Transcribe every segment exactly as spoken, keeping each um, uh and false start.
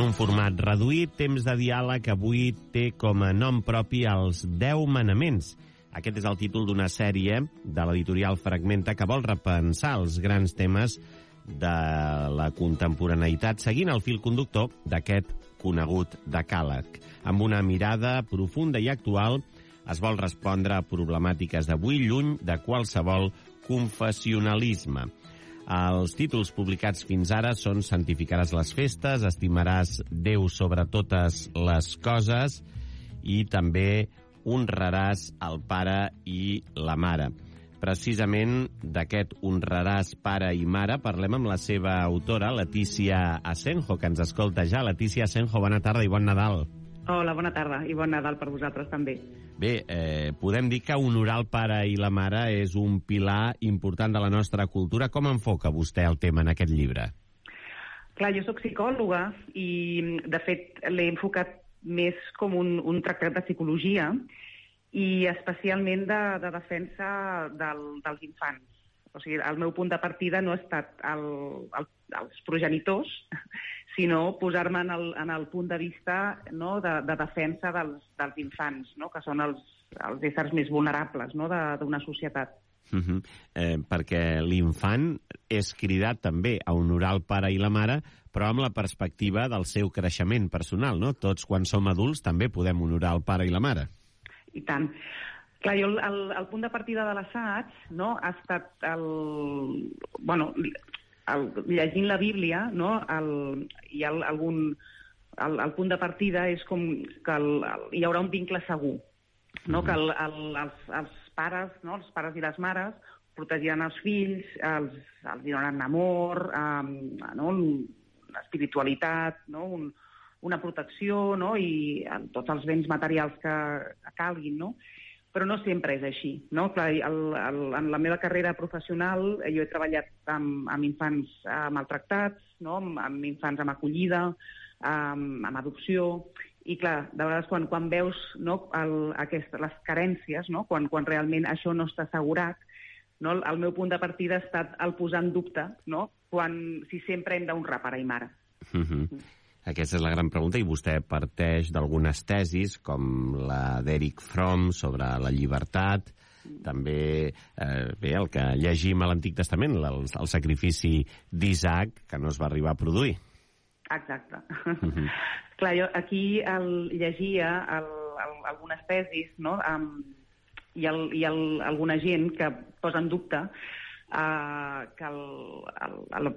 En un format reduït, Temps de diàleg avui té com a nom propi els deu manaments. Aquest és el títol d'una sèrie de l'editorial Fragmenta que vol repensar els grans temes de la contemporaneïtat seguint el fil conductor d'aquest conegut decàleg. Amb una mirada profunda i actual es vol respondre a problemàtiques d'avui lluny de qualsevol confessionalisme. Els títols publicats fins ara són Santificaràs les festes, Estimaràs Déu sobre totes les coses i també Honraràs el pare i la mare. Precisament d'aquest honraràs pare i mare parlem amb la seva autora, Letícia Asenjo, que ens escolta ja. Letícia Asenjo, bona tarda i bon Nadal. Hola, bona tarda i bon Nadal per vosaltres també. Bé, eh, podem dir que honorar el pare i la mare és un pilar important de la nostra cultura. Com enfoca vostè el tema en aquest llibre? Clar, jo sóc psicòloga i, de fet, l'he enfocat més com un, un tractat de psicologia i especialment de, de defensa del, dels infants. O sigui, el meu punt de partida no ha estat el, el, els progenitors, sinó posar-me en, el, en el punt de vista, no, de, de defensa dels, dels infants, no, que són els, els éssers més vulnerables, no, d'una societat. Uh -huh. eh, perquè l'infant és cridat també a honorar el pare i la mare, però amb la perspectiva del seu creixement personal, no? Tots, quan som adults, també podem honorar el pare i la mare. I tant. Clar, jo el, el punt de partida de l'assaig, no, ha estat el... Bueno, el, llegint la Bíblia, no, el, hi ha algun... El, el punt de partida és com que el, el, hi haurà un vincle segur, no? Mm. Que el, el, els, els pares, no, els pares i les mares protegiran els fills, els, els donaran amor, um, no, espiritualitat, no, un, una protecció, no, i tots els béns materials que, que calguin, no? Però no sempre és així, no? Clar, el, el, en la meva carrera professional jo he treballat amb, amb infants eh, maltractats, no? amb, amb infants amb acollida, amb, amb adopció, i clar, de vegades quan, quan veus, no, el, aquest, les carències, no? quan, quan realment això no està assegurat, no? El, el meu punt de partida ha estat el posar en dubte, no? Quan, si sempre hem d'honrar pare i mare. Mm-hmm. Mm. Aquesta és la gran pregunta, i vostè parteix d'algunes tesis, com la d'Eric Fromm sobre la llibertat, també eh, bé, el que llegim a l'Antic Testament, el, el sacrifici d'Isaac, que no es va arribar a produir. Exacte. Mm-hmm. Clar, jo aquí el, llegia el, el, algunes tesis, no? Um, i el, i el, alguna gent que posa en dubte uh, que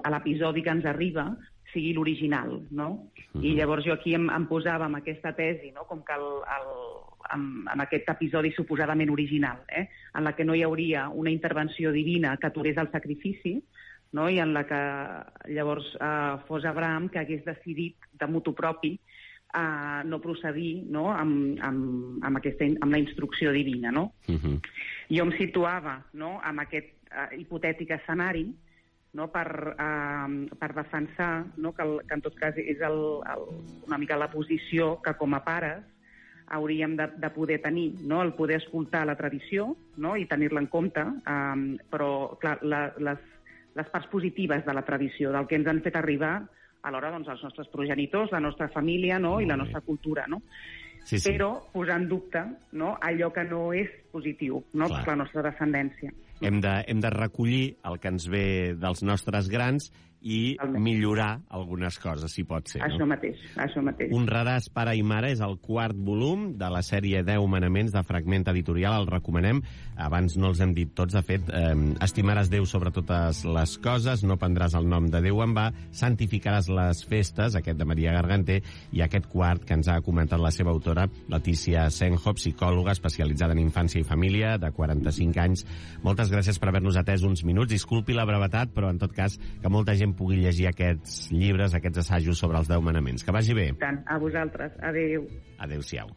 l'episodi que ens arriba sigui l'original, no? Mm-hmm. I llavors jo aquí em, em posava amb aquesta tesi, no? Com que el, el, amb, amb aquest episodi suposadament original, eh? En la que no hi hauria una intervenció divina que aturés el sacrifici, no? I en la que llavors eh, fos Abraham que hagués decidit de motu propi eh, no procedir, no? Amb, amb, amb, aquesta, amb la instrucció divina, no? Uh-huh. Jo em situava, no? Amb aquest eh, hipotètic escenari, no? per, eh, per defensar, no? que, el, que en tot cas és el, el, una mica la posició que com a pares hauríem de, de poder tenir, no? El poder escoltar la tradició, no? I tenir-la en compte, eh, però clar, la, les les parts positives de la tradició, del que ens han fet arribar alhora doncs, els nostres progenitors, la nostra família, no? I la nostra cultura, no? Sí, sí. Però posar en dubte, no? Allò que no és positiu, no? Per la nostra descendència. Hem de, hem de recollir el que ens ve dels nostres grans i millorar algunes coses, si pot ser. Això no? mateix, això mateix. Honraràs pare i mare és el quart volum de la sèrie deu manaments de Fragmenta Editorial, el recomanem. Abans no els hem dit tots, de fet, eh, estimaràs Déu sobre totes les coses, no prendràs el nom de Déu en va, santificaràs les festes, aquest de Maria Garganter, i aquest quart que ens ha comentat la seva autora, Letícia Asenjo, psicòloga especialitzada en infància i família, de quaranta-cinc anys. Moltes gràcies per haver-nos atès uns minuts. Disculpi la brevetat, però en tot cas que molta gent pugui llegir aquests llibres, aquests assajos sobre els deu manaments. Que vagi bé. Tant, a vosaltres. Adéu. Adéu-siau.